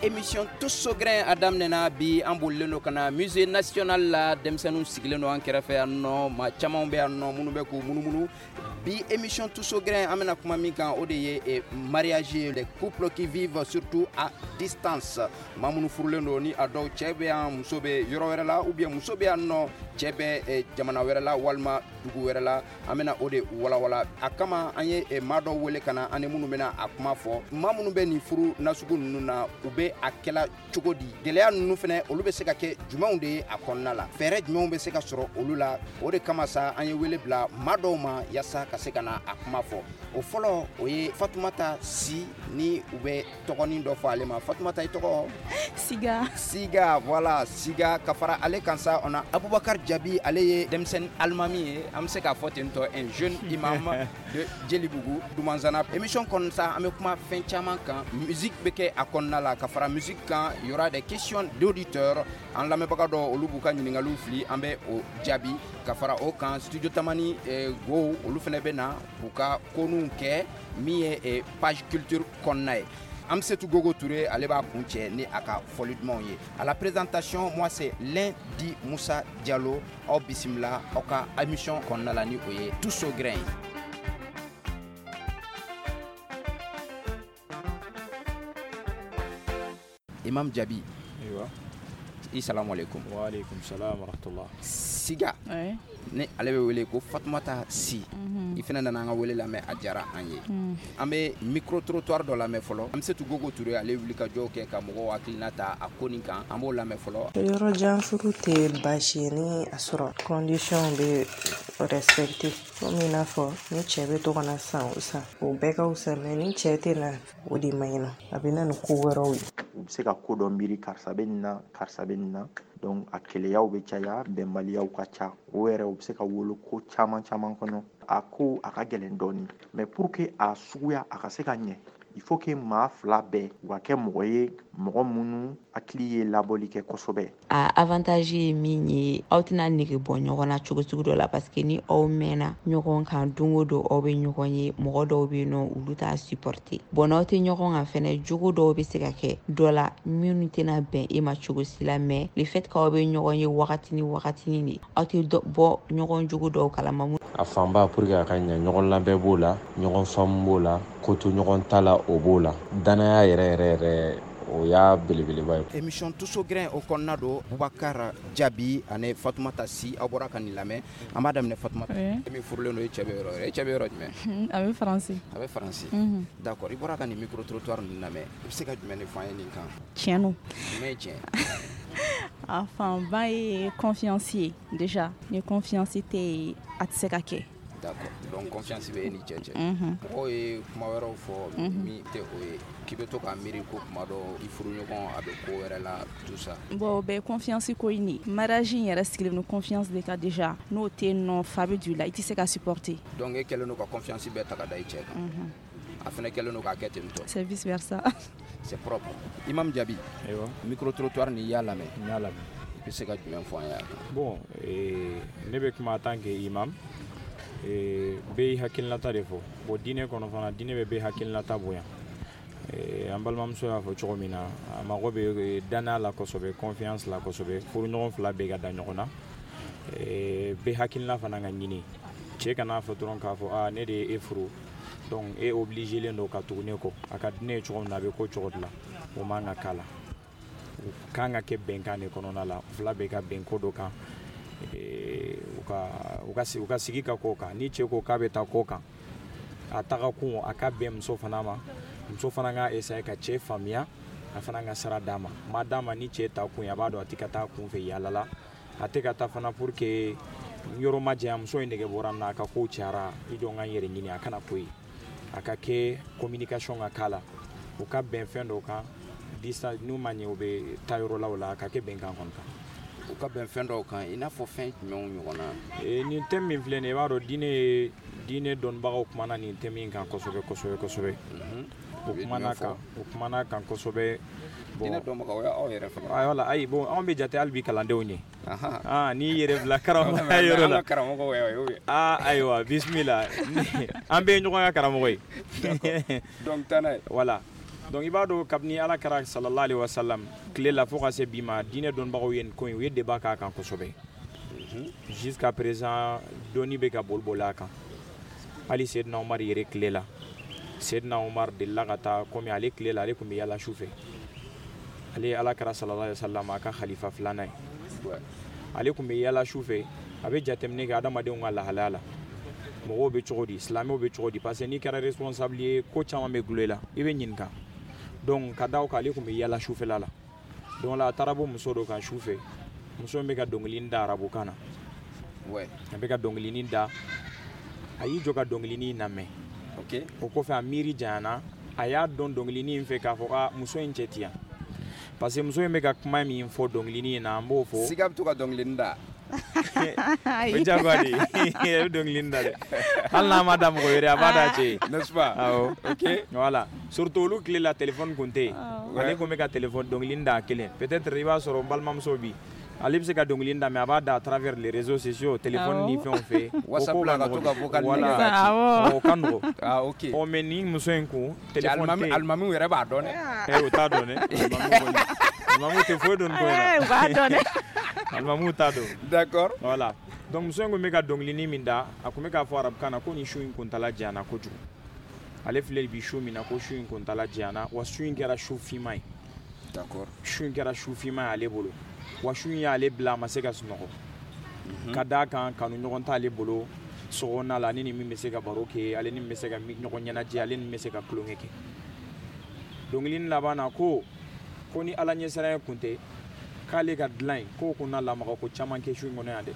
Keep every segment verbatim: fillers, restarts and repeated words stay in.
émission Tous au grain a daminɛna bi. An bolilen don ka na musée national la. Denmisɛnninw sigilen don an kɛrɛfɛ yan nɔ, maa caman bɛ yan nɔ minnu bɛ k'u munumunu. Bi émission Tous au grain, an bɛna kuma min kan, o de ye mariage ye, les couples qui vivent surtout à distance. Maa minnu furulen don ni a dɔw cɛ bɛ yan, muso bɛ yɔrɔ wɛrɛ la, ou bien muso bɛ yan nɔ, cɛ bɛ jamana wɛrɛ la walima dugu wɛrɛ la. An bɛna o de walawala. A kama an ye maa dɔw wele ka na, an ni minnu bɛna a kuma fɔ. Maa minnu bɛ nin furu nasugu ninnu na, u bɛ a kɛla cogo di? Gɛlɛya ninnu fɛnɛ, olu bɛ se ka kɛ jumɛnw de ye a kɔnɔna la? Fɛɛrɛ jumɛnw bɛ se ka sɔrɔ olu la? O de kama sa, an ye wele bila maa dɔw ma yaasa ka se ka na a kuma fɔ. O fɔlɔ, o ye Fatumata Si, ni u bɛ tɔgɔnin dɔ fɔ ale ma. Fatumata, i tɔgɔ? Siga. Siga, voilà, Siga. Ka fara ale kan sa, on a Abubakar Jabi. Ale ye denmisɛnnin alimami ye, an bɛ se k'a fɔ ten tɔ, un jeune imam de Jelibugu Dumanzana. Émission kɔnɔ sa, an bɛ kuma fɛn caman kan. Musique bɛ kɛ a kɔnɔna la. Ka fara musique kan, il y aura des questions d'auditeurs. An lamɛnbaga dɔw, olu b'u ka ɲininkaliw fili, an bɛ o jaabi. Ka fara o kan, studio Tamani go, olu fɛnɛ bɛ na k'u ka koninw kɛ min ye page culture kɔnɔna ye. Amsetou Gogo Touré, ale b'a kun cɛ ni a ka fɔli dumanw ye. À la présentation, moi, c'est Lundi Moussa Diallo. Aw bisimila aw ka émission kɔnɔna la, ni o ye Tous au grain ye. Imam Jabi. Ayiwa. I salamu alaikum. Wa alaikum salam wa rahmatullah. Siga. Oui. Ni ale bɛ wele ko Fatumata Si. I fana nana an ka wele lamɛn, a diyara an ye. An bɛ micro trottoir dɔ lamɛn fɔlɔ. Amsetou Gogo Touré, ale wuli ka jɔw kɛ ka mɔgɔw hakilina ta a ko nin kan. An b'o lamɛn fɔlɔ. Yɔrɔ jan furu tɛ baasi ye ni a sɔrɔ condition bɛ respecté, komi i n'a fɔ ni cɛ bɛ to ka na san o san, o bɛɛ ka fisa, mais ni cɛ tɛ na, o de man ɲi nɔ, a bɛ na ni ko wɛrɛw ye. U bɛ se ka ko dɔ miiri, karisa bɛ nin na, karisa bɛ nin na, donc a keleyaw bɛ caya, bɛnbaliyaw ka ca, o yɛrɛ u bɛ se ka wolo ko caman caman kɔnɔ. A ko a ka gɛlɛn dɔɔni, mais pour que a suguya a ka se ka ɲɛ, il faut que maa fila bɛɛ u ka kɛ mɔgɔ ye, mɔgɔ minnu hakili ye labɔli kɛ kosɛbɛ. A avantage ye min ye, aw tɛna nege bɔ ɲɔgɔn na cogo sugu dɔ la, parce que ni aw mɛnna ɲɔgɔn kan, don o don aw bɛ ɲɔgɔn ye, mɔgɔ dɔw bɛ yen nɔ, olu t'a supporter. Bon, n'aw tɛ ɲɔgɔn kan fɛnɛ, jogo dɔw bɛ se ka kɛ dɔ la minnu tɛna bɛn e ma cogo si la, mais le fait k'aw bɛ ɲɔgɔn ye wagati ni wagatinin de, aw tɛ bɔ ɲɔgɔn jogo dɔw kalama. A fanba, pour que a ka ɲɛ, ɲɔgɔn labɛn b'o la, ɲɔgɔn faamu b'o la, ko to ɲɔgɔn ta la, o b'o la, danaya yɛrɛ yɛrɛ yɛrɛ, o y'a belebeleba ye. Émission Tous au grain o kɔnɔna don. Bubakar Jabi ani Fatumata Si, aw bɔra ka nin lamɛn. An b'a daminɛ Fatumata. E min furulen don, e cɛ bɛ yɔrɔ wɛrɛ, e cɛ bɛ yɔrɔ jumɛn? A bɛ Faransi. A bɛ Faransi. D'accord, i bɔra ka nin micro trottoir ninnu lamɛn, i bɛ se ka jumɛn de fɔ an ye nin kan? Tiɲɛ don. Jumɛn ye tiɲɛ? A fanba ye confiance ye déjà. Ni confiance tɛ yen, a tɛ se ka kɛ. D'accord, donc confiance bɛ e ni cɛ cɛ. Mɔgɔw ye kuma wɛrɛw fɔ min tɛ o ye, k'i bɛ to k'a miiri ko kuma dɔ i furuɲɔgɔn a bɛ ko wɛrɛ la, tout ça. Bon, o bɛɛ ye confiance ko in de. Mariage in yɛrɛ sigilen don confiance de kan déjà. N'o tɛ yen nɔ, fa bɛ don i la, i tɛ se ka supporter. Donc e kɛlen don ka confiance bɛɛ ta ka da i cɛ kan. A fana kɛlen don k'a kɛ ten tɔ. C'est vice versa. C'est propre. Imam Jabi. Ayiwa. Micro trottoir nin, i y'a lamɛn. N y'a lamɛn. I bɛ se ka jumɛn fɔ an ye a kan? Bon, ne bɛ kuma en tant que imam. Bɛɛ y'i hakilinata de fɔ. Bon, diinɛ kɔnɔ fana, diinɛ bɛ bɛɛ hakilinata bonya. An balimamuso y'a fɔ cogo min na, a mago bɛ danaya la kosɛbɛ, confiance la kosɛbɛ, furuɲɔgɔn fila bɛɛ ka da ɲɔgɔn na, bɛɛ hakilina fana ka ɲini. Cɛ kana fɔ dɔrɔn k'a fɔ aa, ne de ye e furu, donc e obligé len don ka tugu ne kɔ, a ka di ne ye cogo min na, a bɛ ko cogo de la, o man ka k'a la. O kan ka kɛ bɛnkan de kɔnɔna la, fila bɛɛ ka bɛn ko dɔ kan, u ka u ka u ka sigi ka ko kan. Ni cɛ ko k'a bɛ taa ko kan, a taga kun a ka bɛn muso fana ma, muso fana ka essayer ka cɛ faamuya, a fana ka sira d'a ma. Ma d'a ma, ni cɛ ta kun ye, a b'a dɔn a tɛ ka taa kun fɛ yaala la, a tɛ ka taa fana pour que yɔrɔ ma janya, muso in nege bɔra n na, a ka kow cayara, i jɔ n ka n yɛrɛ ɲini, a kana ko ye. A ka kɛ communication ka k'a la, u ka bɛn fɛn dɔw kan, distance n'u ma ɲɛ, u bɛ taa yɔrɔ la, o la a ka kɛ bɛnkan kɔni kan. U ka bɛn fɛn dɔw kan, i n'a fɔ fɛn jumɛnw ɲɔgɔn na? Nin thème min filɛ nin ye, i b'a dɔn diinɛ ye, diinɛ dɔnnibagaw kumana nin thème in kan kosɛbɛ kosɛbɛ kosɛbɛ. U kumana kan, u kumana kan kosɛbɛ. Bon, diinɛ dɔnbagaw, o y'aw yɛrɛ fana. Ayi, wala, ayi, bon, anw bɛ jate hali bi kalandenw ye. Ah, n'i yɛrɛ bila karamɔgɔya yɔrɔ la. An ka karamɔgɔw y'o ye. Ah, ayiwa, bisimila. An bɛɛ ye ɲɔgɔn ka karamɔgɔ ye. Donc taa n'a ye. Voilà. Donc i b'a dɔn kabini Ala kɛra sallallahu alaihi wasallam tile la fo ka se bi ma, diinɛ dɔnnibagaw ye nin ko in, u ye débat k'a kan kosɛbɛ. Jusqu'à présent dɔnni bɛ ka boli boli a kan. Hali Seydina Umar yɛrɛ tile la, Seydina Umar delila ka taa, komi ale tile la ale tun bɛ yala su fɛ, ale ye Ala kɛra sallallahu alaihi wasallam a ka khalifa filanan ye, ale tun bɛ yala su fɛ, a bɛ jateminɛ kɛ adamadenw ka lahalaya la, mɔgɔw bɛ cogo di, silamɛw bɛ cogo di, parce que n'i kɛra responsable ye, ko caman bɛ gulon i la, i bɛ ɲininka. Donc ka da o kan, ale tun bɛ yala sufɛla la. Donc la a taara bɔ muso dɔ kan su fɛ, muso in bɛ ka dɔnkilinin da arabukan na. A bɛ ka dɔnkilinin da, a y'i jɔ ka dɔnkilinin lamɛn. O kɔfɛ a miiri janyana, a y'a dɔn dɔnkilinin in fɛ k'a fɔ a muso in cɛ ti yan, parce que muso in bɛ ka kuma min fɔ dɔnkilinin in na, an b'o fɔ. Siga bɛ to ka dɔnkilinin da. O diyagoya de ye, a bɛ dɔnkilinin da dɛ, hali n'a ma da mɔgɔ wɛrɛ, a b'a da cɛ ye. N'est-ce pas? Awɔ. Ok. Voilà, surtout olu tile la téléphone kun tɛ yen. Ale kun bɛ ka téléphone dɔnkilinin da a kelen. Peut-être i b'a sɔrɔ n balimamuso bi, ale bɛ se ka dɔnkilinin da, mais a b'a da à travers les réseaux sociaux, téléphone ni fɛnw fɛ. WhatsApp la ka to ka vocal. Voilà, o ka nɔgɔn. Ah ok. Ɔ mais nin muso in kun téléphone tɛ yen. Alimamiw yɛrɛ b'a dɔn dɛ. Eh, o t'a dɔn dɛ. Alimamiw tɛ foyi dɔn nin ko in na. U b'a dɔn dɛ. Alimamiw t'a dɔn. D'accord. Voilà, donc muso in kun bɛ ka dɔnkilinin min da, a kun bɛ k'a fɔ arabukan na ko nin su in kuntala janyana kojugu. Ale filɛ bi su min na, ko su in kuntala janyana, wa su in kɛra su finman ye. D'accord. Su in kɛra su finman ye ale bolo, wa su in y'ale bila a ma se ka sunɔgɔ. Ka d'a kan kanu ɲɔgɔn t'ale bolo sokɔnɔna la, ale ni min bɛ se ka baro kɛ, ale ni min bɛ se ka ɲɔgɔn ɲɛnajɛ, ale ni min bɛ se ka tulonkɛ kɛ. Dɔnkilinin laban na ko ko ni Ala ɲɛsiranɲɛ kun tɛ, k'ale ka dilan in k'o kun na lamaga ko caman kɛ su in kɔnɔ yan dɛ.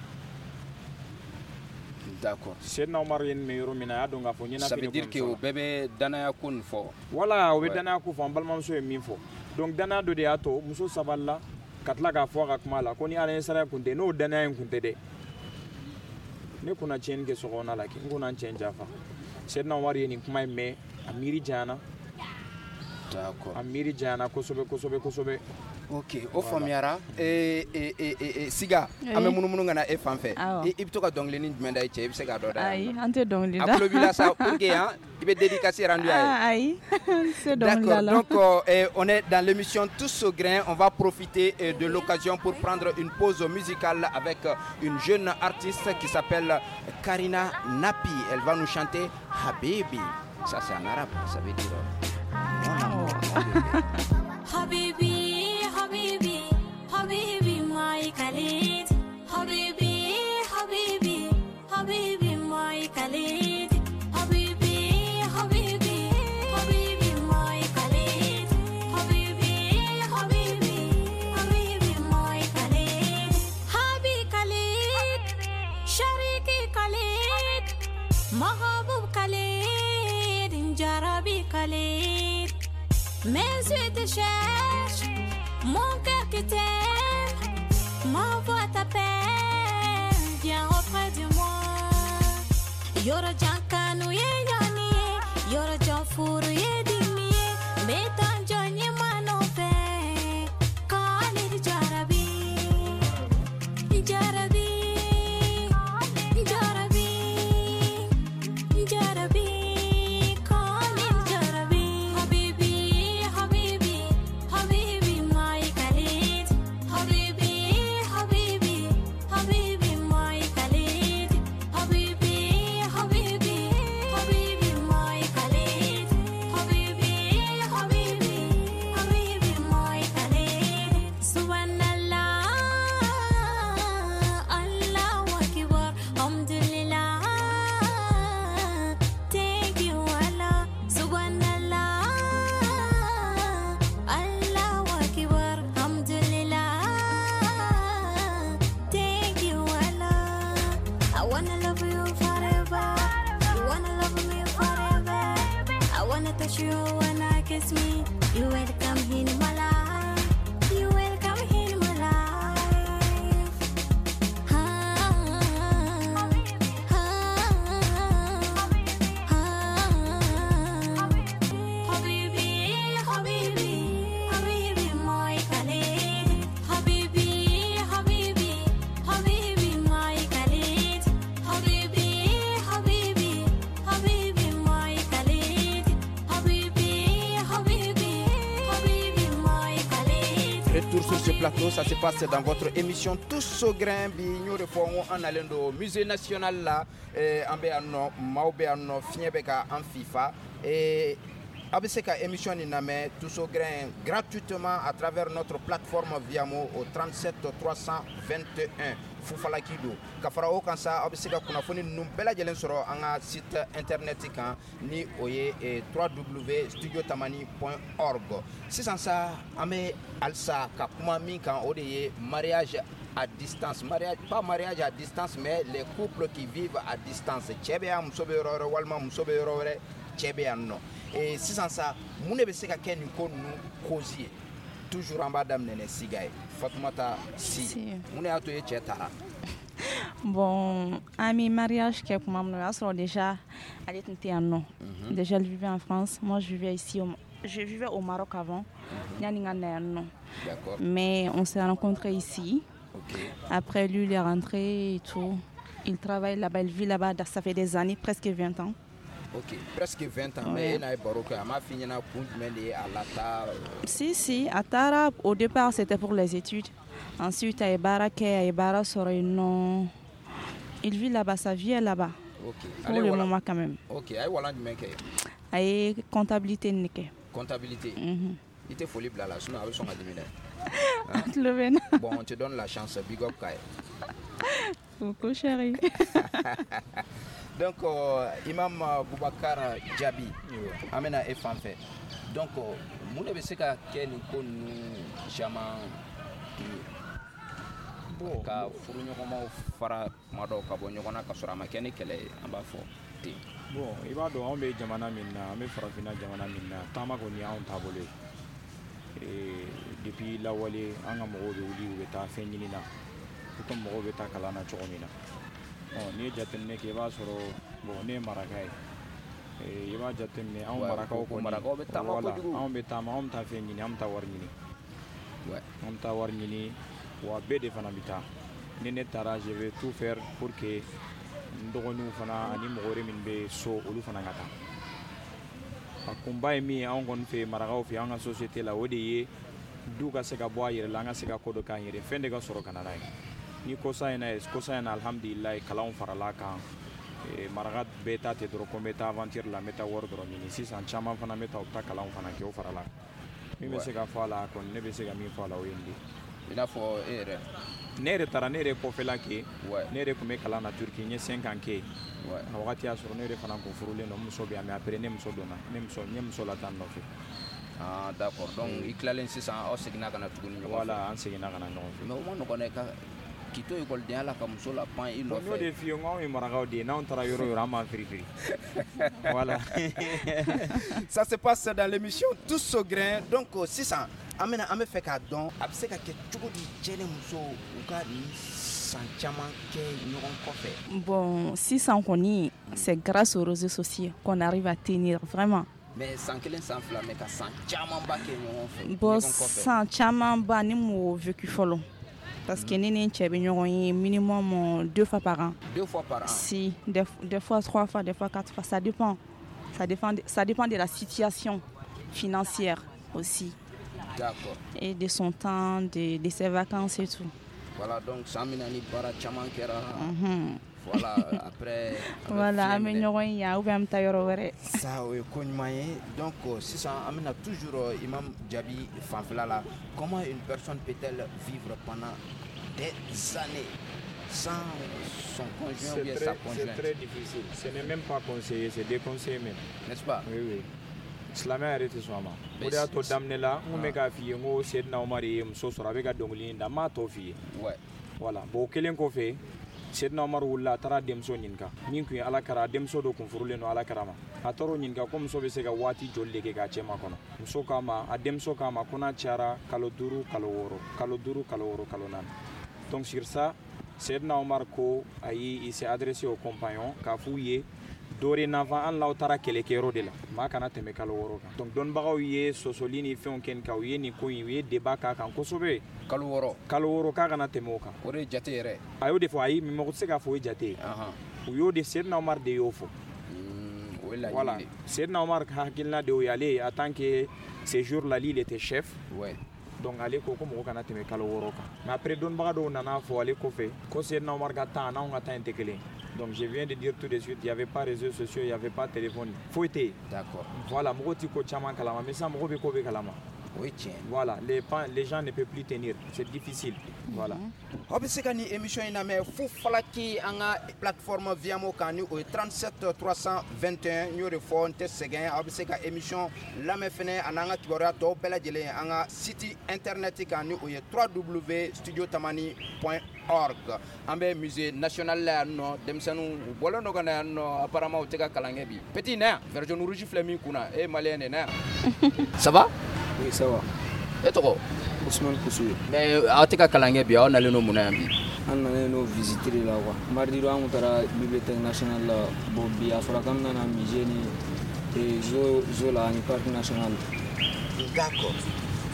D'accord. Seydina Umar ye nin mɛn yɔrɔ min na, a y'a dɔn k'a fɔ ɲɛnafin. Ça veut dire que o bɛɛ bɛ danaya ko nin fɔ. Voilà, o bɛ danaya ko fɔ, an balimamuso ye min fɔ. Donc danaya dɔ de y'a to muso sabalila ka tila k'a fɔ a ka kuma la ko ni Ala ɲɛsiranɲɛ kun tɛ, n'o danaya in kun tɛ dɛ, ne kunna tiɲɛni kɛ sokɔnɔna la kɛ, n kunna n cɛ janfa. Seydina Umar ye nin kuma in mɛn, a miiri janyana. D'accord. A miiri janyana kosɛbɛ kosɛbɛ kosɛbɛ. Ok, o faamuyara. ee ee ee Siga, an bɛ munumunu ka na e fan fɛ. I bɛ to ka dɔnkilinin jumɛn da i cɛ? I bɛ se k'a dɔ da? Ayi, an tɛ dɔnkili da. A tulo b'i la sa, pour que hein, i bɛ dédicace rendu a ye. Ayi, n tɛ dɔnkili da la. D'accord, donc euh, on est dans l'émission Tous au grain. On va profiter de l'occasion pour prendre une pause musicale avec une jeune artiste qui s'appelle Karina Napi. Elle va nous chanter Habibi. Ça c'est en arabe, ça veut dire mon amour, mon bébé. Habibi, Habibi, Habibi, my Khalid. Habibi, Habibi, Habibi, my Khalid. Habibi, Habibi, Habibi, my Khalid. Habibi, Habibi, Habibi, my Khalid. Habi Khalid, Shariki Khalid, Mahabub Khalid, Jarabi Khalid. Mes yeux te cherchent, mon cœur qui t'aime, ma voix t'appelle, viens auprès de moi. Yoro jankanu ye yani ye, yoro janfuru ye dimi ye, metan jonye manofe, Khalid Jarabi, Jarabi, Jarabi, Jarabi, Khalid Jarabi, Habibi, Habibi, Habibi, my Khalid, Habibi, Habibi, Habibi, my Khalid, Habibi, Habibi, Habibi, my Khalid, Habibi, Habibi, Habibi, my Khalid, Subhanallah, plateau. Ça se passe dans votre émission Tous au grain. Bi n y'o de fɔ, n ko an nalen don musée national la. eh, an bɛ yan nɔ, maaw bɛ yan nɔ, fiɲɛ bɛ ka an fifa. Eh, aw bɛ se ka émission nin lamɛn, Tous au grain, gratuitement à travers notre plateforme Viamo au trente-sept trois cent vingt et un, Fufalaki don. Ka fara o kan sa, aw bɛ se ka kunnafoni ninnu bɛɛ lajɛlen sɔrɔ an ka site internet kan, ni o ye eh, w w w point studiotamani point org. Sisan sa, an bɛ halisa ka kuma min kan, o de ye mariage à distance, mariage, pas mariage à distance, mais les couples qui vivent à distance. Cɛ bɛ yan, muso bɛ yɔrɔ wɛrɛ, walima muso bɛ yɔrɔ wɛrɛ, cɛ bɛ yan nɔ. Eh, sisan sa, mun de bɛ se ka kɛ nin ko ninnu cause ye? Toujours an b'a daminɛ ni Siga ye. Fatumata Si, Si. mun de y'a to e cɛ taara? Bon, an bɛ mariage kɛ tuma min na, o y'a sɔrɔ déjà ale tun tɛ yan nɔ. Déjà, elle vivait en France, moi je vivais ici au, je vivais au Maroc avant, yani n ka na yan nɔ. D'accord. Mais on s'est rencontrés ici. Ok. Après, lui, il est rentré et tout. Il travaille là-bas, il vit là-bas, ça fait des années, presque vingt ans. Ok, presque vingt ans. Ouais. Mais e n'a ye baro kɛ, a m'a f'i ɲɛna kun jumɛn de ye a lataa? Si, si, a taara, au départ, c'était pour les études. Ensuite, a ye baara kɛ, a ye baara sɔrɔ yen nɔ. Il vit là-bas, sa vie est là-bas. Ok. Pour le moment, quand même. Ok, a ye walan jumɛn kɛ? A ye comptabilité nin kɛ. Comptabilité. Mhm. I tɛ foli bila a la, sinon a bɛ sɔn ka dimi dɛ. A tulo bɛ n na. Bon, on te donne la chance, big up k'a ye. Coucou chérie. Donc euh, Imam Boubacar Diaby, an bɛna e fan fɛ. Donc euh, mun de bɛ se ka kɛ nin ko ninnu caman ye Bon, ka furuɲɔgɔnmaw fara kuma dɔw ka bɔ ɲɔgɔn na ka sɔrɔ a ma kɛ ni kɛlɛ ye, an b'a fɔ ten? Bon, i b'a dɔn, anw bɛ jamana min na, an bɛ farafinna jamana min na, taama kɔni y'anw taabolo ye. Eh, depuis lawale, an ka mɔgɔw bɛ wuli, u bɛ taa fɛn ɲini na, i komi mɔgɔw bɛ taa kalan na cogo min na. Ɔ, n'i ye jateminɛ kɛ, i b'a sɔrɔ, bon, ne ye maraka ye. Eh, i b'a jateminɛ, anw Ouais, marakaw ko- ko kɔni, marakaw bɛ taama voilà, kojugu. Anw bɛ taama, anw bɛ taa fɛn ɲini, an bɛ taa wari ɲini. Ouais. An bɛ taa wari ɲini, wa bɛɛ de fana bɛ taa. Ni ne taara, je vais tout faire pour que n dɔgɔninw fana ani mɔgɔ wɛrɛ min bɛ so, olu fana ka taa. A kunba ye min ye anw kɔni fɛ, marakaw fɛ, an ka société la, o de ye du ka se ka bɔ a yɛrɛ la, an ka se ka ko dɔ k'an yɛrɛ, fɛn de ka sɔrɔ ka na n'a ye. Ni kosa in na ye, kosa in na, alhamdulilayi, kalanw farala kan. Eh, maraka bɛɛ ta tɛ dɔrɔn ko n bɛ taa aventure la, n bɛ taa wari dɔrɔn ɲini. Sisan caman fana bɛ taa, u bɛ taa kalanw fana kɛ, o farala kan. Min bɛ se ka fɔ a la kɔni, ne bɛ se ka min fɔ a la, o ye nin de ye. I n'a fɔ e yɛrɛ? Ne yɛrɛ taara, ne yɛrɛ kɔfɛla kɛ. Ouais. Ne yɛrɛ tun bɛ kalan na Turki, n ye cinq ans kɛ yen. Ouais. A wagati y'a sɔrɔ ne yɛrɛ fana kun furulen don, muso bɛ yan, mais après ne muso donna, ne muso, n ye muso lataa n nɔfɛ. Ah d'accord, donc i tilalen sisan, aw seginna ka na tuguni ɲɔgɔn fɛ? Voilà, an seginna ka na ɲɔgɔn fɛ. Mais o ma nɔgɔn dɛ, ka k'i to ekɔlidenya la ka muso la pan i Bon, n y'o nɔfɛ. de f'i ye, n ko anw ye marakaw de ye, n'anw taara yɔrɔ o yɔrɔ, an b'an firifiri, voilà. Ça se passe dans l'émission Tous au grain. Donc euh, sisan, an bɛna, an bɛ fɛ k'a dɔn a bɛ se ka kɛ cogo di cɛ ni muso u ka nin san caman kɛ ɲɔgɔn kɔfɛ? Bon, sisan kɔni, c'est grâce aux réseaux sociaux qu'on arrive à tenir, vraiment. Mais san kelen, san fila, mais ka san camanba kɛ ɲɔgɔn fɛ, Bon, ɲɔgɔn kɔfɛ. San camanba, ne m'o vécu fɔlɔ. Parce que ne ni n cɛ bɛ ɲɔgɔn ye minimum euh, deux fois par an. Deux fois par an? Si, des, des fois trois fois, des fois quatre fois, ça dépend. Ça dépend de, ça dépend de la situation financière aussi. D'accord. Et de son temps, de, de ses vacances et tout. Voilà, donc san min na ni baara caman kɛra. Mhm. Voilà, après an bɛ Voilà, fiɲɛ an bɛ minɛ. ɲɔgɔn ye yan ou bien an bɛ taa yɔrɔ wɛrɛ. Ça, o ye ko ɲuman ye. Donc euh, sisan an bɛna toujours euh, Imam Diaby fanfɛla la. Comment une personne peut-elle vivre pendant des années sans son conjoint ou C'est bien très, sa c'est conjointe? très difficile. Ce n'est même pas conseillé, c'est déconseillé même. N'est-ce pas? Oui, oui. Silamɛya yɛrɛ tɛ sɔn a ma. Mais O de y'a to c'est- daminɛ la, n kun bɛ k'a f'i ye, n ko Seydina Umar ye muso sɔrɔ, a bɛ ka dɔnkili in da, n m'a tɔ f'i ye. Ouais. Voilà. Bon, o kɛlen kɔfɛ, Seydina Umar wulila, a taara denmuso ɲininka min tun ye Ala kara, a denmuso dɔ kun furulen don Ala kara ma. A taara o ɲininka ko muso bɛ se ka waati joli de kɛ k'a cɛ makɔnɔ. Muso k'a ma, a denmuso k'a ma ko n'a cayara kalo duuru, kalo wɔɔrɔ, kalo duuru, kalo wɔɔrɔ, kalo naani. Donc sur ça, Seydina Omar ko ayi, il s'est adressé aux compagnons k'a f'u ye dorénavant, hali n'aw taara kɛlɛkɛyɔrɔ de la, maa kana tɛmɛ kalo wɔɔrɔ kan. Donc dɔnnibagaw ye sɔsɔli ni fɛnw kɛ nin kan, u ye nin ko in, u ye débat k'a kan kosɛbɛ. Kalo wɔɔrɔ? Kalo wɔɔrɔ, k'a kana tɛmɛ o kan. O de ye jate yɛrɛ? A y'o de fɔ. Ayi, mais mɔgɔ tɛ se k'a fɔ o ye jate ye. Ahan. U y'o de, Seydina Omar de y'o fɔ. Mm, o ye laɲini Voilà. de ye. Seydina Omar ka hakilina de y'o ye. Ale, en tant que ce jour là, lui, il était chef. Ouais. Donc ale ko ko mɔgɔ kana tɛmɛ kalo wɔɔrɔ kan. Mais après dɔnnibaga dɔw nana fɔ ale kɔfɛ ko Seydina Omar ka temps n'anw ka temps in tɛ kelen. Donc je viens de dire tout de suite, il n'y avait pas réseaux sociaux, il n'y avait pas téléphone. Foyi tɛ yen. D'accord. Voilà, mɔgɔw ti ko caman kalama, mais sisan mɔgɔw bɛ ko bɛɛ kalama. O ye tiɲɛ. Voilà, les, les gens ne peuvent plus tenir, c'est difficile. Voilà. Aw bɛ se ka nin émission in lamɛn fo falaki an ka plateforme Viamo kan ni o ye trente-sept trois cent vingt et un. N y'o de fɔ, n tɛ sɛgɛn. Aw bɛ se ka émission lamɛn fɛnɛ a n'an ka kibaruya tɔw bɛɛ lajɛlen an ka site internet kan ni o ye w w w point studio tamani point org. An bɛ musée national la yan nɔ, denmisɛnninw u bɔlen don ka na yan nɔ, apparemment u tɛ ka kalan kɛ bi. Petit na yan, vert jaune rouge filɛ min kunna, e ye malien de ye, na yan. Ça va? Oui, ça va. E tɔgɔ? Ousmane Koussou. Mais aw tɛ ka kalan kɛ bi, aw nalen don mun na yan bi? An nalen don visiter de la quoi. Mardi don an kun taara bibliothèque nationale la. Bon bi a fɔra k'an bɛna na musée ni zoo zoo la ani parc national. D'accord.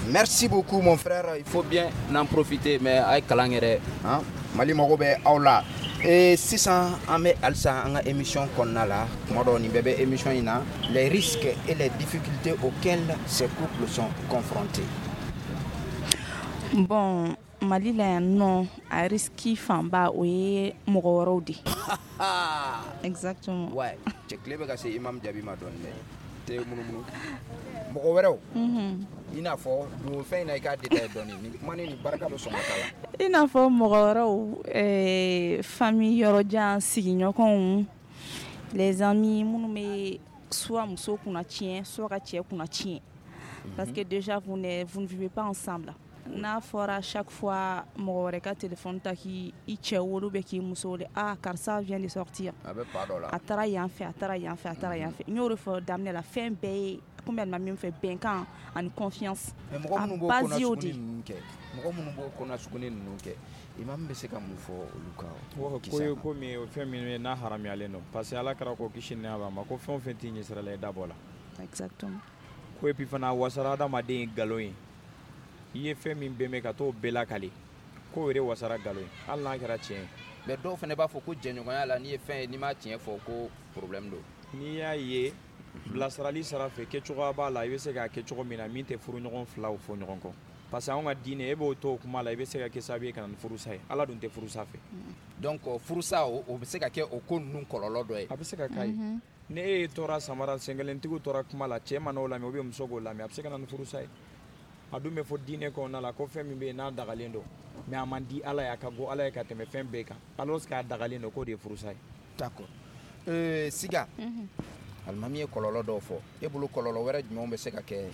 Merci beaucoup mon frère, il faut bien en profiter, mais a ye kalan kɛ dɛ. Han? Mali mago bɛ aw la. Et sisan an bɛ halisa an ka émission kɔnɔna la, kuma dɔ nin bɛɛ bɛ émission in na, les risques et les difficultés auxquels ces couples sont confrontés. Bon, Mali la yan nɔ, a risque fanba o ye mɔgɔ wɛrɛw de. Exactement. Ouais, cɛ tile bɛ ka se imam jaabi ma dɔɔni dɛ. Tɛ munumunu. Mɔgɔ wɛrɛw. Mhm. I n'a fɔ don fɛn in na i k'a détaillé dɔɔni. Nin kuma ni nin barika bɛ sɔn ka k'a la. I n'a fɔ mɔgɔ wɛrɛw, eh, famille yɔrɔjan, sigiɲɔgɔnw, les amis minnu bɛ soit muso kunna tiɲɛ, soit ka cɛ kunna tiɲɛ. Parce que déjà vous ne vous ne vivez pas ensemble. N'a fɔra chaque fois mɔgɔ wɛrɛ ka téléphone ta k'i cɛ wele ou bien k'i muso wele, ah karisa vient de sortir. A bɛ pa dɔ la. A taara yan fɛ, a taara yan fɛ, a taara yan fɛ. N y'o de fɔ daminɛ la, fɛn bɛɛ ye komi alimami min fɛ bɛnkan ani confiance. Mais mɔgɔ minnu b'o A base y'o de kɔnɔ ninnu kɛ, mɔgɔ minnu b'o kɔnɔ suguni ninnu kɛ, imam bɛ se ka mun fɔ olu kan? Ko ye ko min ye, fɛn min ye n'a haramuyalen don, parce que Ala kɛra ko kisi ni nɛɛma b'a ma ko fɛn o fɛn t'i ɲɛsira la i da bɔ la. Exactement. Ko et puis fana wasara adamaden ye nkalon ye. I ye fɛn min bɛn ka t'o bɛɛ lakale, k'o yɛrɛ wasara nkalon ye, hali n'a kɛra tiɲɛ ye. Mais dɔw fana b'a fɔ ko jɛɲɔgɔnya la n'i ye fɛn ye n'i m'a tiɲɛ fɔ ko problème don. N'i y'a ye bilasirali sira fɛ kɛcogoya b'a la, i bɛ se k'a kɛ cogo min na min tɛ furuɲɔgɔn filaw fɔ ɲɔgɔn kɔ. Parce que anw ka diinɛ e b'o to o kuma la, i bɛ se ka kɛ sababu ye ka na ni furusa ye. Ala dun tɛ furusa fɛ. Donc furusa o bɛ se ka kɛ o ko ninnu kɔlɔlɔ dɔ ye. A bɛ se ka k'a ye. Ni e ye tora samara senkelentigiw tora kuma la, cɛ mana o lamɛn ou bien muso k'o lamɛn, a bɛ se ka na ni furusa ye. A dun bɛ fɔ diinɛ kɔnɔna la ko fɛn min bɛ yen n'a dagalen don, mais a man di Ala ye, a ka go Ala ye ka tɛmɛ fɛn bɛɛ kan, alors k'a dagalen don, k'o de ye furusa ye. D'accord. Euh, Siga. Alimami ye kɔlɔlɔ dɔw fɔ, e bolo kɔlɔlɔ wɛrɛ jumɛnw bɛ se ka kɛ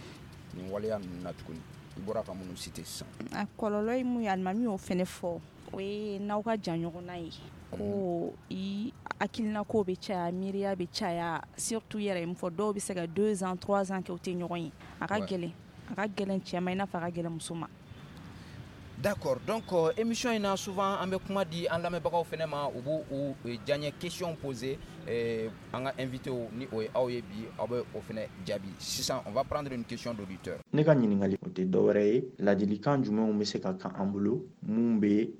nin waleya ninnu na tuguni? I bɔra ka minnu citer sisan. A kɔlɔlɔ ye mun ye, alimami y'o fɛnɛ fɔ, o ye n'aw ka jan ɲɔgɔn na ye, ko i hakilina ko bɛ caya, miiriya bɛ caya, surtout i yɛrɛ ye mun fɔ, dɔw bɛ se ka deux ans trois ans kɛ u tɛ ɲɔgɔn ye. A ka gɛlɛn, a ka gɛlɛn cɛ ma i n'a fɔ a ka gɛlɛn muso ma. D'accord. Donc euh, émission in na souvent an bɛ kuma di an lamɛnbagaw fɛnɛ ma, u b'u u diyaɲɛ question poser eh, an ka invité ni o ye aw ye bi, aw bɛ o fɛnɛ jaabi. Sisan on va prendre une question d'auditeur. Ne ka ɲininkali o tɛ dɔwɛrɛ ye, ladilikan jumɛnw bɛ se ka kan an bolo mun bɛ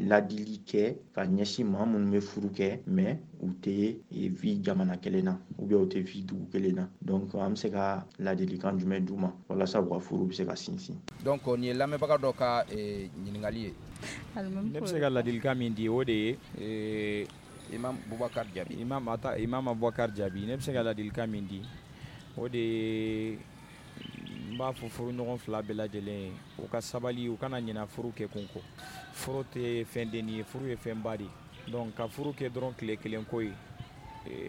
ladili kɛ ka ɲɛsin maa minnu bɛ furu kɛ mais u tɛ vi jamana kelen na ou bien u tɛ vi dugu kelen na, donc an bɛ se ka ladilikan jumɛn d'u ma walasa u ka furu bɛ se ka sinsin? Donc nin ye lamɛnbaga dɔ ka ɲininkali ye. Ne bɛ se ka ladilikan min di o de ye Imam Boubacar Diaby. Imam ata Imam Boubacar Diaby, ne bɛ se ka ladilikan min di o de ye, n b'a fɔ furuɲɔgɔn fila bɛɛ lajɛlen ye, u ka sabali, u kana ɲina furu kɛ kun kɔ. Furu tɛ fɛn denni ye, furu ye fɛnba de ye. Donc ka furu kɛ dɔrɔn tile kelen ko ye,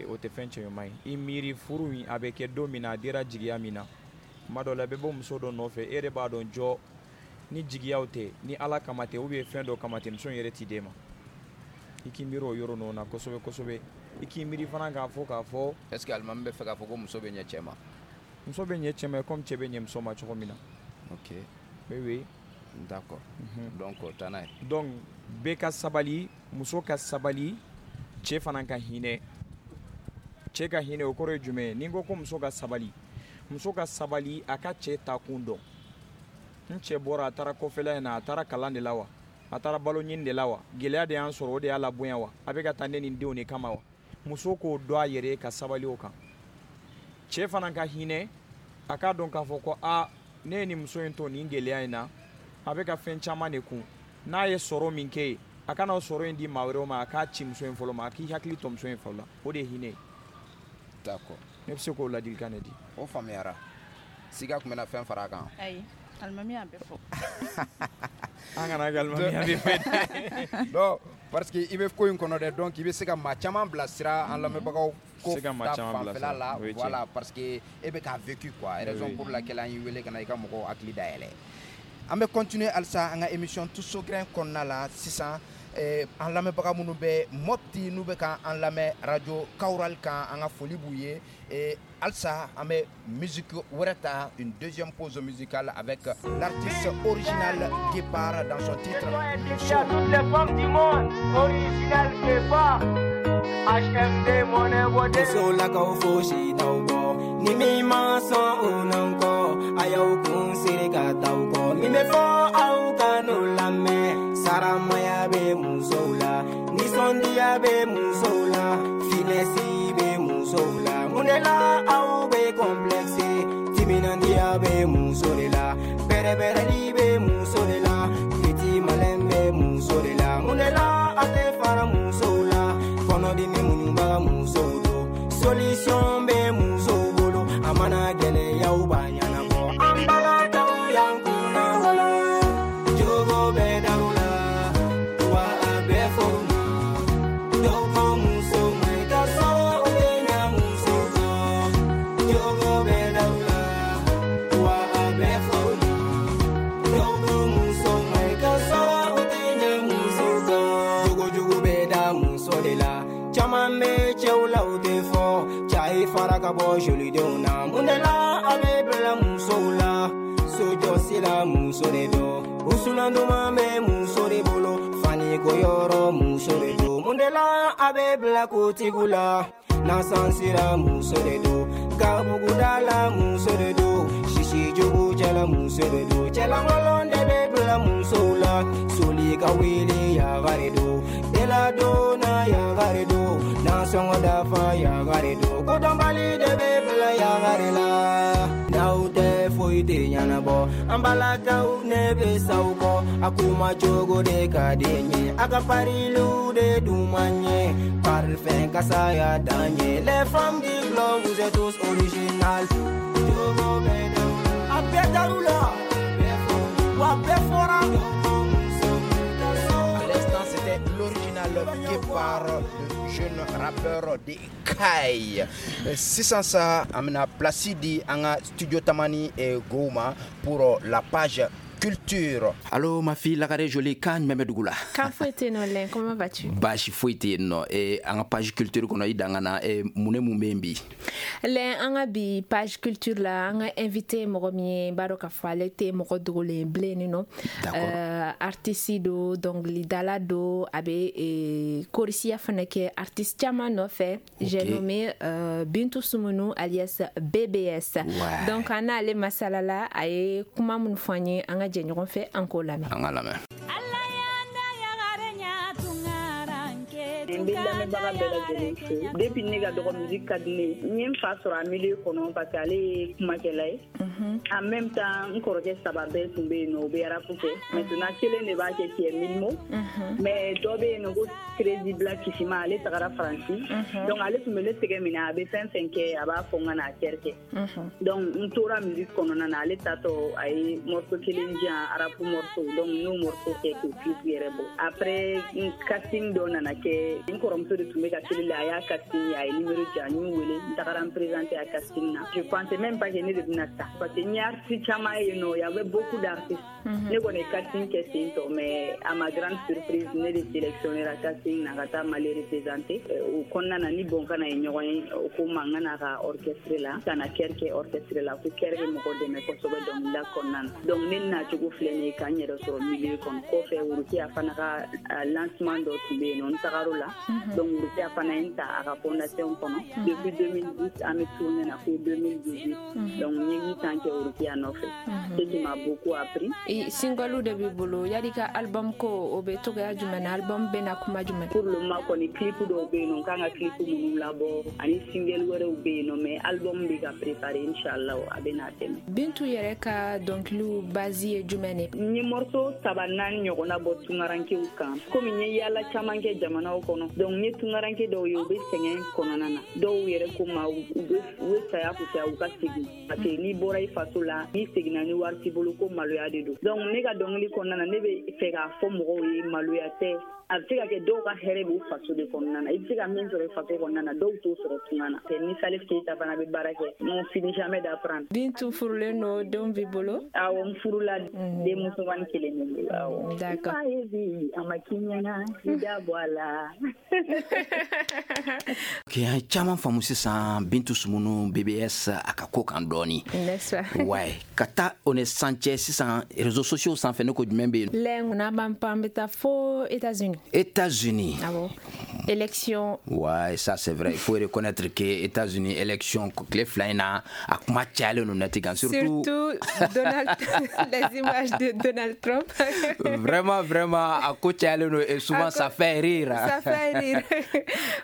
o tɛ fɛn cɛɲuman ye. I miiri furu in a bɛ kɛ don min na, a dira jigiya min na, tuma dɔ la i bɛ bɔ muso dɔ nɔfɛ, e yɛrɛ b'a dɔn jɔ ni jigiyaw tɛ, ni Ala kama tɛ ou bien fɛn dɔ kama tɛ, muso in yɛrɛ t'i d'e ma. I k'i miiri o yɔrɔ ninnu na kosɛbɛ kosɛbɛ. I k'i miiri fana k'a fɔ k'a fɔ. Est ce que alimami bɛ fɛ k'a fɔ ko muso bɛ ɲɛ cɛ ma? Muso bɛ ɲɛ cɛ ma comme cɛ bɛ ɲɛ muso ma cogo min na. Ok. Oui oui. D'accord. Mm-hmm. Donc taa n'a ye. Donc bɛɛ ka sabali, muso ka sabali, cɛ fana ka hinɛ. Cɛ ka hinɛ o kɔrɔ ye jumɛn ye? Ni n ko ko muso ka sabali, muso ka sabali a ka cɛ ta kun dɔn. N cɛ bɔra a taara kɔfɛla in na, a taara kalan de la wa? A taara balo ɲini de la wa? Gɛlɛya de y'an sɔrɔ, o de y'a labonya wa? A bɛ ka taa ne ni n denw de kama wa? Muso k'o dɔn a yɛrɛ ye ka sabali o kan. Cɛ fana ka hinɛ, a k'a dɔn k'a fɔ ko a Ne ye nin muso in to nin gɛlɛya in na, a bɛ ka fɛn caman de kun. N'a ye sɔrɔ min kɛ yen, a kana o sɔrɔ in di maa wɛrɛw ma, a k'a ci muso in fɔlɔ ma, a k'i hakili to muso in fɔlɔ la. O de ye hinɛ ye. D'accord. Ne bɛ se k'o ladilikan de di. O faamuyara. Siga tun bɛna fɛn fara a kan. Ayi, alimami y'a bɛɛ fɔ. An kana kɛ alimami y'a bɛɛ fɔ. Non, parce que i bɛ ko in kɔnɔ dɛ, donc i bɛ se ka maa caman bilasira an lamɛnbagaw ko Se ka maa ta caman fanfɛla bilasira. la. O ye tiɲɛ. Voilà, parce que e bɛ k'a vécu quoi. Raison Oui. pour laquelle an y'i wele ka na i ka mɔgɔw hakili dayɛlɛ. An bɛ continuer halisa an ka émission Tous au grain kɔnɔna la sisan. Eh, an lamɛnbaga minnu bɛ Mopti n'u bɛ ka an lamɛn radio Kawral kan, an ka foli b'u ye. Eh, halisa an bɛ musique wɛrɛ ta, une deuxième pause musicale avec l'artiste original Guépard dans son titre Dédié à toutes les femmes du monde, original Guépard, H M D monnaie bodé. Musolakaw fosi t'aw bɔ, ni min ma sɔn o n'anw kɔ, a y'aw kun siri ka t'aw kɔ. Min bɛ fɔ aw ka n'o lamɛn, saramaya bɛ musow la, nisɔndiya bɛ musow la, finɛsi bɛ musow la. Mun de la aw bɛ complexe, timinandiya bɛ muso de la, bɛrɛbɛrɛli bɛ muso de la, petit malin bɛ muso de la. Mun de la a tɛ fara musow la, kɔnɔdimi muɲubaga musow don, solution bɛ musow bolo, a mana gɛlɛyaw b'a ɲɛnabɔ. An balakaw y'an kunna wolo, jogo bɛ daw la, wa a bɛ fɔ u ma. Dɔw ko muso ma i ka sɔrɔ u tɛ ɲa muso kɔ, jogo bɛ daw la, wa a bɛ fɔ u ma. Dɔw ko muso ma i ka sɔrɔ u tɛ ɲa muso kɔ, jogo jugu bɛ da muso de la. Caman bɛ cɛw la u tɛ fɔ, cɛ fara ka bɔ jolidenw na. Mun de la a bɛ bila musow la, sojɔsi la muso de don, wusulan duman bɛ muso de bolo, faniko yɔrɔ muso de don. Mun de la a bɛ bila kotigiw la, nasansira muso de don, gabuguda la muso de don, sisi jugu cɛla muso de don, cɛlankolon de bɛ bila musow la, soli ka wele yagare don, deladonna yagare don, nasɔngɔ dafa yagare don, kodɔnbali de bɛ bila yagare la. N'aw tɛ foyi tɛ ɲɛnabɔ, an balakaw ne bɛ s'aw kɔ, a kuma cogo de ka di n ye, a ka pariliw de dun man ɲɛ, parfum kasa y'a dan ye. Les femmes du globe, vous êtes tous originales. Jogo bɛ daw la, a bɛɛ dar'u la, wa a bɛɛ fɔra. À l'instant, c'était l'original Guépard, le jeune rappeur de Kayes. Sisan sa, an bɛna place di an ka studio Tamani eh, Gow ma pour la page culture. Allô ma fille Lagare Jolie, kan jumɛn bɛ dugu la? Kan foyi tɛ yen nɔ Lɛn, comment vas-tu? Baasi foyi tɛ yen nɔ. Eh, an ka page culture kɔnɔ i dan ka na, eh, mun ne mun bɛ yen bi? Lɛn, an ka bi page culture la, an ka invité mɔgɔ min ye, n b'a dɔn k'a fɔ ale tɛ mɔgɔ dogolen ye bilen nin nɔ. Euh, artiste do, dɔnkilidala do, a bɛ eh, chorisiya fana kɛ artiste caman nɔfɛ. J'ai nommé euh, Bintou Soumounou alias B B S. Ouais. Donc an n'ale masala la, a ye kuma minnu fɔ an ye, an ka jɛ ɲɔgɔn fɛ an k'o lamɛn. An ka lamɛn. N bɛ lamɛnbaga bɛɛ lajɛlen fo. Depuis ne ka dɔgɔ musique ka di ne ye. N ye n fa sɔrɔ a milieu kɔnɔ parce que ale ye kumakɛla ye. En même temps, n kɔrɔkɛ saba bɛɛ tun bɛ yen nɔ, u bɛ rap kɛ. Maintenant kelen de b'a kɛ qui est Milmo. Mais dɔ bɛ yen nɔ ko Crazy Black Kisima, ale tagara Faransi. Donc ale tun bɛ ne tɛgɛ minɛ, a bɛ fɛn fɛn kɛ, a b'a fɔ n ka n'a kɛri kɛ. Donc n tora musique kɔnɔna na, ale tatɔ a ye morceau kelen di yan, rap morceau. Donc n y'o morceau kɛ k'o clip yɛrɛ bɔ. Après casting dɔ nana kɛ, n kɔrɔmuso de tun bɛ ka télé la, a y'a casting, a ye numéro di yan, n y'u wele, n tagara n présenter a casting na. Je pensais même pas que ne de bɛna ta parce que n ye artiste caman ye yen nɔ, y avait beaucoup d'artistes. Ne kɔni ye casting kɛ ten tɔ, mais à ma grande surprise, ne de sélectionné ra casting na ka taa Mali représenter. O kɔnɔna na ni Bɔnkana ye ɲɔgɔn ye, o ko n ma n ka n'a ka orchestre la, ka na chœur kɛ orchestre la, ko chœur bɛ mɔgɔ dɛmɛ kosɛbɛ dɔnkilida kɔnɔna na. Donc ne nacogo filɛ nin ye ka n yɛrɛ sɔrɔ milieu kɔnɔ. Kɔfɛ Worokiya fana ka lancement dɔ tun bɛ yen nɔ, n tagar'o la. Donc Rokia fana ye n ta a ka fondation kɔnɔ. Depuis deux mille dix, an bɛ tourner na fo deux mille dix-huit. Donc n ye huit ans kɛ Rokia nɔfɛ, ce qui m'a beaucoup appris. Single de b'i bolo, yali ka album ko o bɛ togoya jumɛn na? Album bɛ na kuma jumɛn? Pour le moment kɔni, clip dɔw bɛ yen nɔ, n kan ka clip minnu labɔ, ani single wɛrɛw bɛ yen nɔ, mais album bɛ ka préparer, inchallah a bɛ na tɛmɛ. Bintu yɛrɛ ka dɔnkiliw base ye jumɛn ye? N ye morceau saba naani ɲɔgɔnna bɔ tungarankew kan, komi n ye yaala caman kɛ jamanaw kɔnɔ. Donc n ye tungaranke dɔw ye, u bɛ sɛgɛn kɔnɔna na, dɔw yɛrɛ ko ma u bɛ u bɛ saya kusaya u ka segin, parce que n'i bɔra i faso la, n'i seginna ni wari t'i bolo, ko maloya de don. Donc ne ka dɔnkili kɔnɔna na, ne bɛ fɛ k'a fɔ mɔgɔw ye, maloya tɛ, a bɛ se ka kɛ dɔw ka hɛrɛ b'u faso de kɔnɔna na. I bɛ se ka min sɔrɔ i faso kɔnɔna na, dɔw t'o sɔrɔ tunga na. Ni Salif Keita fana bɛ baara kɛ, on finit jamais d'apprendre. Bintu furulen don, denw b'i bolo? Awɔ, n furula, den musomannin kelen bɛ n bolo, awɔ. D'accord. I ye bi a ma k'i ɲɛna, i da bɔ a la. Ok, an ye caman faamu sisan Bintu Sumunu B B S a ka ko kan dɔɔni. N'est-ce pas? Ouais, ka taa o ni san cɛ sisan, réseaux sociaux sanfɛ, ne ko jumɛn bɛ yen? Lɛ n'an b'an pan, an bɛ taa fo États-Unis. États-Unis. Ah bon, élection. Ouais, ça c'est vrai. Il faut reconnaître que États-Unis élection tile fila in na, a kuma cayalen don net kan, surtout Surtout Donald, les images de Donald Trump. Vraiment, vraiment, a ko cayalen don et souvent ça fait rire. Ça fait rire.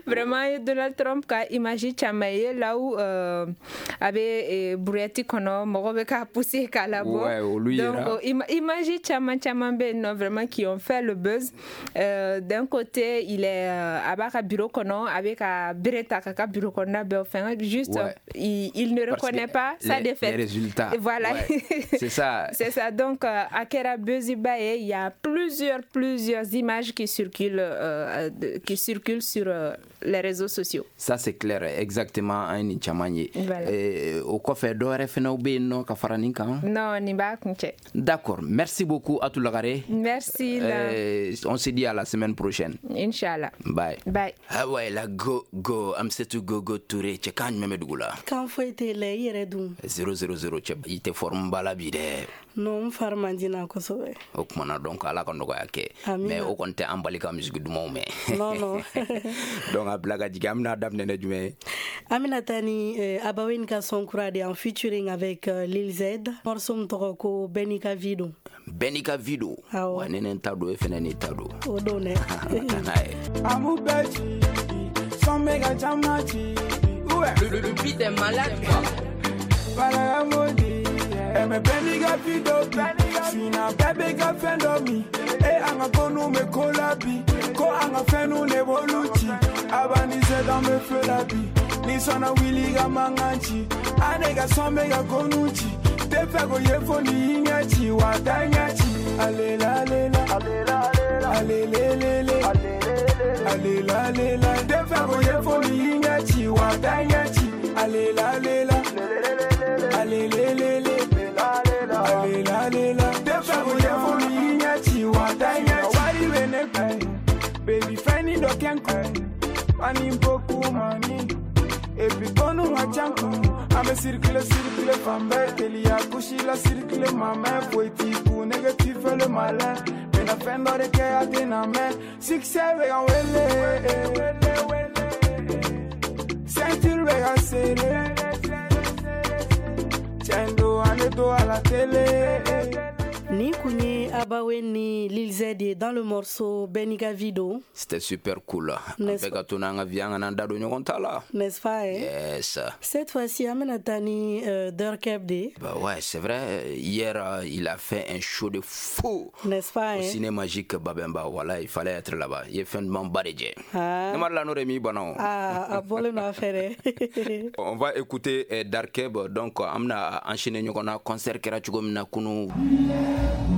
Vraiment, Donald Trump ka image caman ye là où euh, a bɛ brouette kɔnɔ, mɔgɔ bɛ k'a pousser k'a labɔ. Ouais, olu yera. Donc ima image caman caman bɛ yen nɔ vraiment qui ont fait le buzz. Euh, d'un côté, il est euh, a b'a ka bureau kɔnɔ, a bɛ ka bere ta k'a ka bureau kɔnɔna bɛɛ fɛn, juste Ouais. il, il ne Parce reconnaît que pas sa les, défaite. Les résultats. Et voilà. Ouais. C'est ça. C'est ça. Donc, euh, a kɛra buzz ba ye, il y a plusieurs, plusieurs images qui circulent, euh, de, qui circulent sur euh, les réseaux sociaux. Ça c'est clair, exactement, an ye nin caman ye. Voilà. Eh, o kɔfɛ, dɔ wɛrɛ fɛnɛ bɛ yen nɔ ka fara nin kan? Non, nin b'a kuncɛ. D'accord, merci beaucoup Atou Lagare. Merci. La... Euh, on se dit à la semaine prochaine. Inch'Allah. Bye. Bye. Ah ouais, la go go Amsetu Gogo Touré, cɛ kan jumɛn bɛ dugu la? Kan foyi tɛ la, i yɛrɛ dun? zéro zéro zéro. Cɛ, i tɛ forme ba la bi dɛ. Non, n fari man di na kosɛbɛ. O kumana, donc ala ka nɔgɔya kɛ. Amina. Mais o kɔni tɛ an bali ka musique dumanw mɛn. Non, non. Donc a bila ka jigin, an bɛna daminɛ ne jumɛn ye? An bɛna taa ni euh, Abawen ka son kura de en featuring avec euh, Lil Z. Morceau min tɔgɔ ko Bɛɛ n'i ka vie don. Bɛɛ n'i ka vie don. Awɔ. Wa ne ni n ta don, e fɛnɛ n'i ta don. O don dɛ. Ka n'a ye. Amu bɛ ci, sɔn bɛ ka caman ci. Le, le, le beat est malade, quoi. Balaya modi, ɛmɛ bɛɛ n'i ka vie dɔ bi. Sina bɛɛ bɛ ka fɛn dɔ min. E an ka ko nu bɛ ko la bi. Ko an ka fɛn nu de b'olu ci. Abani se dan bɛ feu la bi. Ni sɔnna wuli ka mankan ci. A ne ka sɔn bɛ ka ko nu ci. Tɛ fɛ ko ye fo ni y'i ɲɛ ci wa taa ɲɛ ci. Alela alela, alelelele, alela alela. Tɛ fɛ ko ye fo ni y'i ɲɛ ci wa taa ɲɛ ci. Alela alela, alelelele, alela alela. Tɛ fɛ ko ye fo ni y'i ɲɛ ci wa taa ɲɛ ci. Wari bɛ ne kun, baby fɛn ni dɔ kɛ n kun. Money beaucoup money. Et puis konu ka ca n kun. An bɛ circuler circuler fan bɛɛ, teliya kusi la circuler ma mɛn foyi t'i kun, nege tu fais le malin. Bɛna fɛn dɔ de kɛ a tɛna mɛn. Succès bɛ ka n wele, ceinture bɛ ka serré. Tiɲɛ don, an bɛ to à la télé. Nin kun ye Abawen ni Lil Z ye dans le morceau Bɛɛ n'i ka vie don. C'était super cool. An N'est-ce bɛɛ ka to n'an ka vie, an kana an da don ɲɔgɔn ta la. N'est-ce pas, hein? Yes. Cette fois-ci, an bɛna taa ni euh, Durkeb de ye. Bah ouais, c'est vrai. Hier, euh, il a fait un show de fou. N'est-ce pas, Au hein? ciné magique Babemba. Voilà, il fallait être là-bas. Il est fin de ba de jɛ. Ah. Ne ma la n'o de m'i bana o. Ah, a bɔlen don a fɛ dɛ. On va écouter eh, Darkeb. Donc, an bɛna enchaîner ɲɔgɔn na, concert kɛra cogo min na kunu. Thank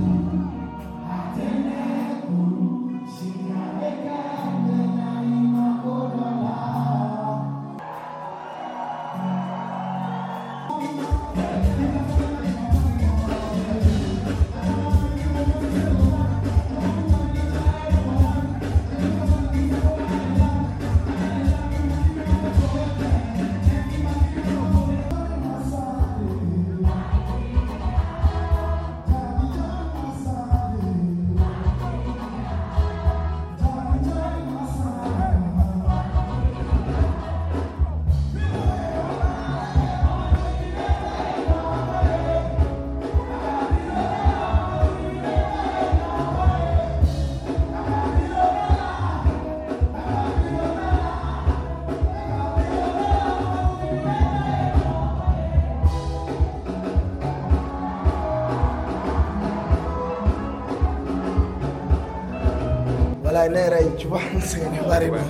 Voilà, ne yɛrɛ, tu vois, n sɛgɛnnenba de don.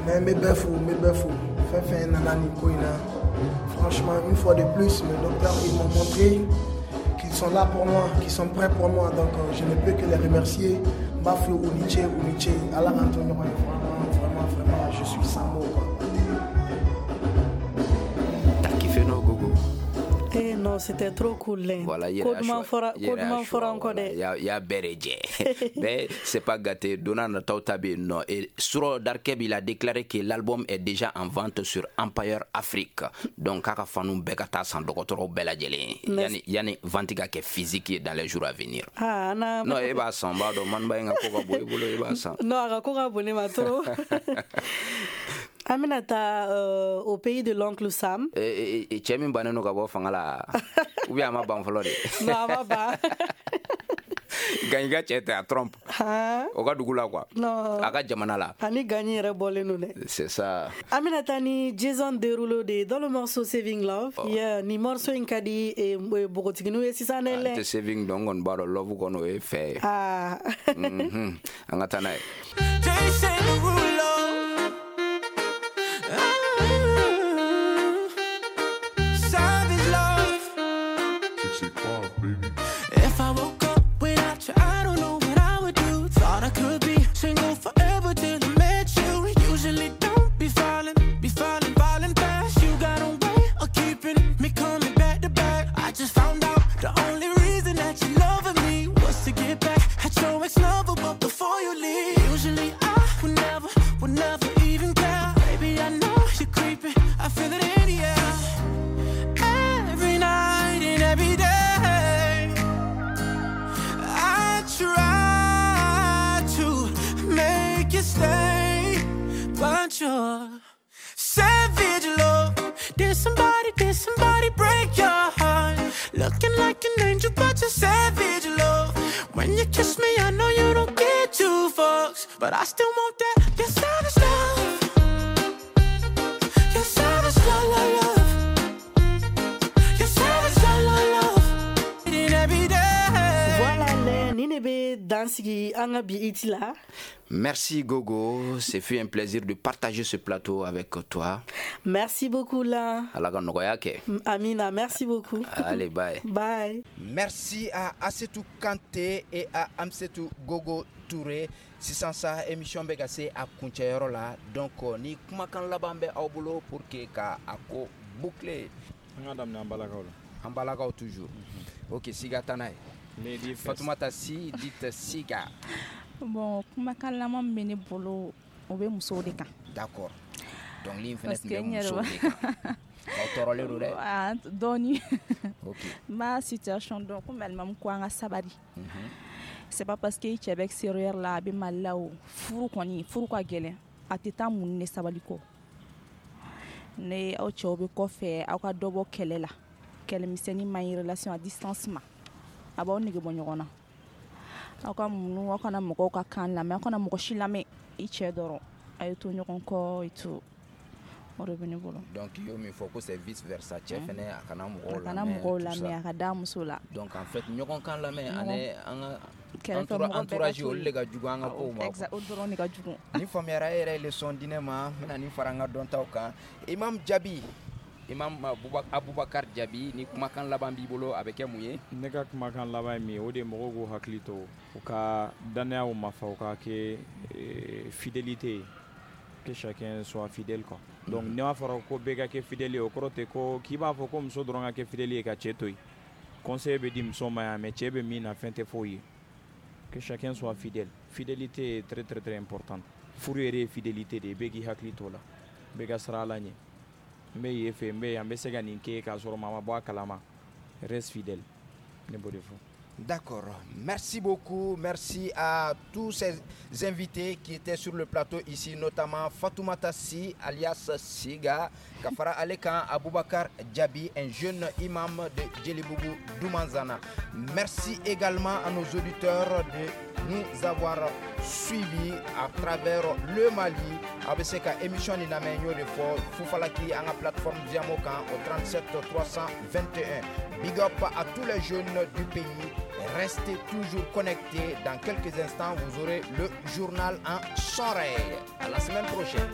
Mais n bɛ bɛɛ fo, n bɛ bɛɛ fo. Fɛn fɛn nana nin ko in na. Franchement, une fois de plus, mes docteurs, ils m'ont montré qu'ils sont là pour moi, qu'ils sont prêts pour moi. Donc, euh, je ne peux que les remercier. N b'a f'u ye u ni ce, u ni ce. Ala k'an to ɲɔgɔn ye. Vraiment, vraiment, vraiment, je suis sans mots, quoi. T'as kiffé, non, Gogo? Eh non, c'était trop cool. Hein. Voilà, il y a Kodman fora encore. Il y a il y a Bérédje. Mais c'est pas gâté. Donna Natautabé, non. Et Suro Darkeb, il a déclaré que l'album est déjà en vente sur Empire Afrique. Donc, kaka fanu bekata san dɔgɔtɔrɔw bɛɛ lajɛlen. Yani yani vente ka kɛ physique dans les jours à venir. Ah, na. Non, e b'a san, b'a dɔn man ba in ka ko ka bon i bolo, i b'a san. Non, a ka ko ka bon ne ma trop. An bɛna taa euh, au pays de l'oncle Sam. Eh, eh, cɛ min bannen don ka bɔ fanga la, ou bien a ma ban fɔlɔ de? Non, a ma ban. Gagny ka cɛ tɛ a Trump. O ka dugu la quoi. Non. A ka jamana la. Ani Gagny yɛrɛ bɔlen don dɛ. C'est ça. An bɛna taa ni Jason Derulo de dans le morceau Saving Love. Oh. Yeah, ni morceau in ka di eh, npogotigininw ye sisan dɛ. An tɛ Saving dɔn, n kɔni b'a dɔn love kɔni o ye fɛ ye. Ah. Mhm. An ka taa n'a ye. Jason Derulo. Savage love. If I woke up without you, I don't know what I would do. Thought I could be single forever till I met you. Usually don't be falling, be falling, falling fast. You got a way of keeping me coming back to back. I just found out the only reason that you loving me was to get back at your ex-lover, but before you leave, usually I would never, would never even care. Baby, I know you're creeping, I feel it in the air. Every night and every day, I try to make you stay, but you're savage love. Did somebody, did somebody break your heart? Looking like an angel, but you're savage love. When you kiss me, I know you don't get two fucks, but I still want that, that savage love. Your savage love, love, love. Your savage love, love, love. In every day. Voilà, ni ne bɛ dan sigi an ka bi iti la. Merci Gogo, ce fut un plaisir de partager ce plateau avec toi. Merci beaucoup là. Ala ka nɔgɔya kɛ. Amina, merci beaucoup. Allez, bye. Bye. Merci à Assetou Kanté et à Amsetou Gogo Touré. Sisan sa émission bɛ ka se a kuncɛyɔrɔ la. Donc ni kumakan laban bɛ aw bolo pour que ka a ko boucler. An ka daminɛ an balakaw la. An balakaw toujours. Ok, siga taa n'a ye. Fatoumata Sy, dite Siga. Bon, kumakan laban min bɛ ne bolo, o bɛ musow de kan. D'accord. Dɔnkili in fɛnɛ tun bɛ musow de kan. Aw tɔɔrɔlen don dɛ. Ah, dɔɔni. Ok. N b'a situation dɔn komi alimamu ko an ka sabali. C'est pas parce que i cɛ bɛ extérieur la a bɛ Mali la o. Furu kɔni, furu ka gɛlɛn. A tɛ taa mun ni sabali kɔ. Ne aw cɛw bɛ kɔfɛ, aw ka dɔ bɔ kɛlɛ la. Kɛlɛmisɛnnin man ɲi relation à distance ma. A b'aw nege bɔ ɲɔgɔn na. Aw ka munu, aw kana mɔgɔw ka kan lamɛn, aw kana mɔgɔ si lamɛn. I cɛ dɔrɔn, a ye to ɲɔgɔn kɔ et tout. O de bɛ ne bolo. Donc i y'o min fɔ ko c'est vice versa, cɛ fɛnɛ a kana mɔgɔw lamɛn. A kana mɔgɔw lamɛn, a ka da muso la. Donc en fait ɲɔgɔn kan lamɛn ani an ka entourage olu de ka jugu an ka kow ma. Exact, o dɔrɔn de ka jugu. Ni faamuyara, e yɛrɛ ye leçon di ne ma, n bɛna nin fara n ka dɔntaw kan. Imam Jabi, Imam Aboubacar Jabi, ni kumakan laban b'i bolo, a bɛ kɛ mun ye? Ne ka kumakan laban ye min ye, o de ye mɔgɔw k'u hakili to u ka dannayaw ma fa, u ka kɛ fidélité ye. Que chacun soit fidèle quoi. Donc mm-hmm. N'a fɔra ko bɛɛ ka kɛ fidèle ye, o kɔrɔ tɛ ko k'i b'a fɔ ko muso dɔrɔn ka kɛ fidèle ye ka cɛ to yen. Conseil bɛ di muso ma yan, mais cɛ bɛ min na fɛn tɛ f'o ye. Que chacun soit fidèle. Fidélité est très très très importante. Furu yɛrɛ ye fidélité de ye, bɛɛ k'i hakili t'o la. Bɛɛ ka siran Ala ɲɛ. N bɛ yen fɛ, n bɛ yan, n bɛ se ka nin kɛ k'a sɔrɔ maa ma bɔ a kalama. Reste fidèle. Ne b'o de fɔ. D'accord. Merci beaucoup. Merci à tous ces invités qui étaient sur le plateau ici, notamment Fatoumata Sy, alias Siga, Kafara Alekan, Aboubacar Diaby, un jeune imam de Djelibougou Doumanzana. Merci également à nos auditeurs de nous avoir suivis à travers le Mali. A B C K émission ni lamɛn y'o de fɔ Fufalaki an ka plateforme Diamokan au trente-sept trois cent vingt et un. Big up à tous les jeunes du pays. Restez toujours connectés. Dans quelques instants, vous aurez le journal en soirée. À la semaine prochaine.